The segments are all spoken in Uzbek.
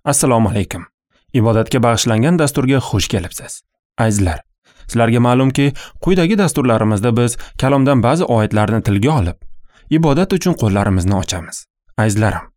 Assalomu alaykum. Ibodatga bag'ishlangan dasturga xush kelibsiz. Azizlar, sizlarga ma'lumki, quyidagi dasturlarimizda biz kalomdan ba'zi oyatlarni tilga olib, ibodat uchun qo'llarimizni ochamiz. Azizlarim,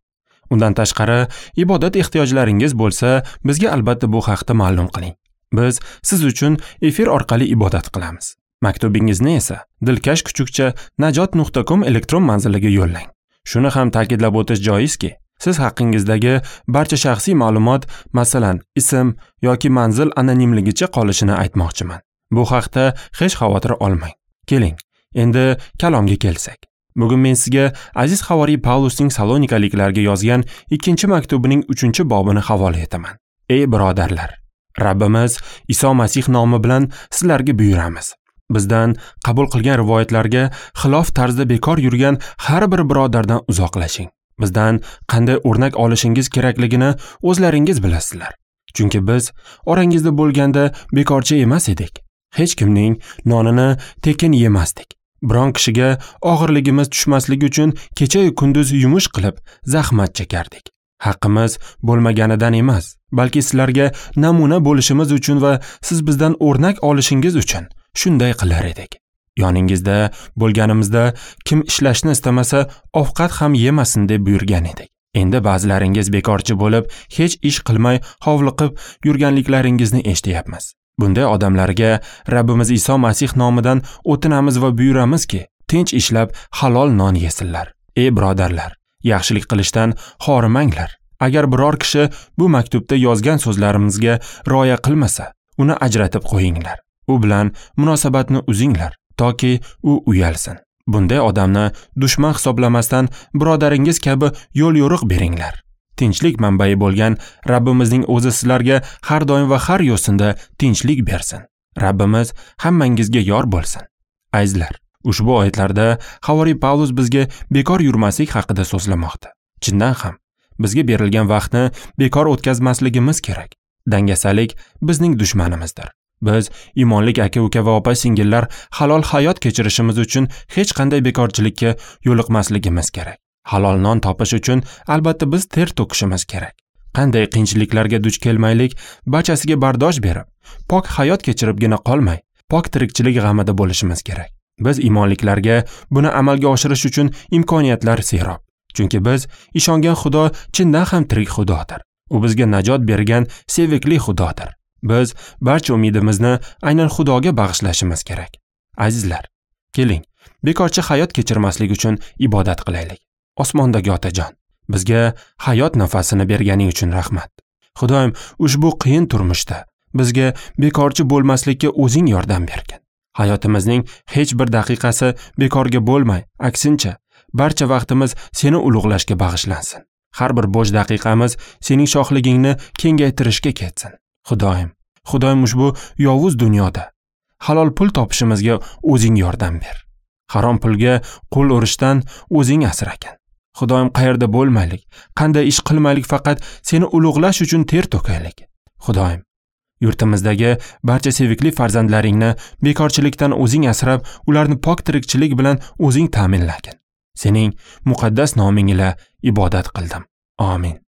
undan tashqari ibodat ehtiyojlaringiz bo'lsa, bizga albatta bu haqda ma'lum qiling. Biz siz uchun efir orqali ibodat qilamiz. Maktubingizni esa dilkash@najot.com elektron manziliga yo'llang. Shuni ham ta'kidlab o'tish joizki, siz haqingizdagi barcha shaxsiy ma'lumot, masalan, ism yoki manzil anonimligicha qolishini aytmoqchiman. Bu haqda hech xavotir olmang. Keling, endi kalomga kelsak. Bugun men sizga aziz havoriy Pavlusning Salonikaliklarga yozgan 2-maktubining 3-bobini havola etaman. Ey birodarlar, Rabbimiz Iso Masih nomi bilan sizlarga buyuramiz. Bizdan qabul qilgan rivoyatlarga xilof tarzda bekor yurgan har bir birodardan uzoqlashing. Bizdan qanday o'rnak olishingiz kerakligini o'zlaringiz bilasizlar. Chunki biz orangizda bo'lganda bekorchi emas edik. Hech kimning nonini tekin yemasdik. Biron kishiga og'irligimiz tushmasligi uchun kecha-yu kunduz yumush qilib zahmat chekardik. Haqqimiz bo'lmaganidan emas, balki sizlarga namuna bo'lishimiz uchun va siz bizdan o'rnak olishingiz uchun shunday qilar edik. Yoningizda bo'lganimizda kim ishlashni istamasa ovqat ham yemasin deb buyurgan edik. Endi ba'zilaringiz bekorchi bo'lib, hech ish qilmay hovliqib yurganliklaringizni eshityapmiz. Bunday odamlarga Rabbimiz Iso Masih nomidan o'tinamiz va buyuramizki, tinch ishlab halol non yesinlar. Ey birodarlar, yaxshilik qilishdan xorimanglar. Agar biror kishi bu maktubda yozgan so'zlarimizga rioya qilmasa, uni ajratib qo'yinglar. U bilan munosabatni uzinglar, toki u uyalsin. Bunday odamni dushman hisoblamasdan birodaringiz kabi yo'l yo'riq beringlar. Tinchlik manbai bo'lgan Rabbimizning o'zi sizlarga har doim va har yo'sinda tinchlik bersin. Rabbimiz hammangizga yor bo'lsin. Azizlar, ushbu oyatlarda havoriy Pavlus bizga bekor yurmaslik haqida so'zlamoqda. Chindan ham bizga berilgan vaqtni bekor o'tkazmasligimiz kerak. Dangasalik bizning dushmanimizdir. Biz iymonlik aka-uka va opa-singillar halol hayot kechirishimiz uchun hech qanday bekorchilikka yo'liqmasligimiz kerak. Halol non topish uchun albatta biz ter to'kishimiz kerak. Qanday qiyinchiliklarga duch kelmaylik, barchasiga bardosh berib, pok hayot kechiribgina qolmay, pok tirikchilik g'amida bo'lishimiz kerak. Biz iymonliklarga buni amalga oshirish uchun imkoniyatlar serob. Chunki biz ishongan Xudo chindan ham tirik Xudodir. U bizga najot bergan sevikli Xudodir. Biz barcha umidimizni aynan Xudoga bag'ishlashimiz kerak. Azizlar, keling, bekorchi hayot kechirmaslik uchun ibodat qilaylik. Osmondagi Otajon, bizga hayot nafasini berganing uchun rahmat. Xudoyim, ushbu qiyin turmushda bizga bekorchi bo'lmaslikka o'zing yordam bergin. Hayotimizning hech bir daqiqasi bekorga bo'lmay, aksincha, barcha vaqtimiz seni ulug'lashga bag'ishlansin. Har bir bo'sh daqiqamiz sening shohligingni kengaytirishga ketsin. Xudoyim, ushbu yovuz dunyoda halol pul topishimizga o'zing yordam ber. Harom pulga qo'l urishdan o'zing asragin. Xudoyim, qayerda bo'lmaylik, qanday ish qilmaylik, faqat seni ulug'lash uchun ter to'kaylik. Xudoyim, yurtimizdagi barcha sevikli farzandlaringni bekorchilikdan o'zing asrab, ularni pok tirikchilik bilan o'zing ta'minlagin. Sening muqaddas noming ila ibodat qildim. Amin.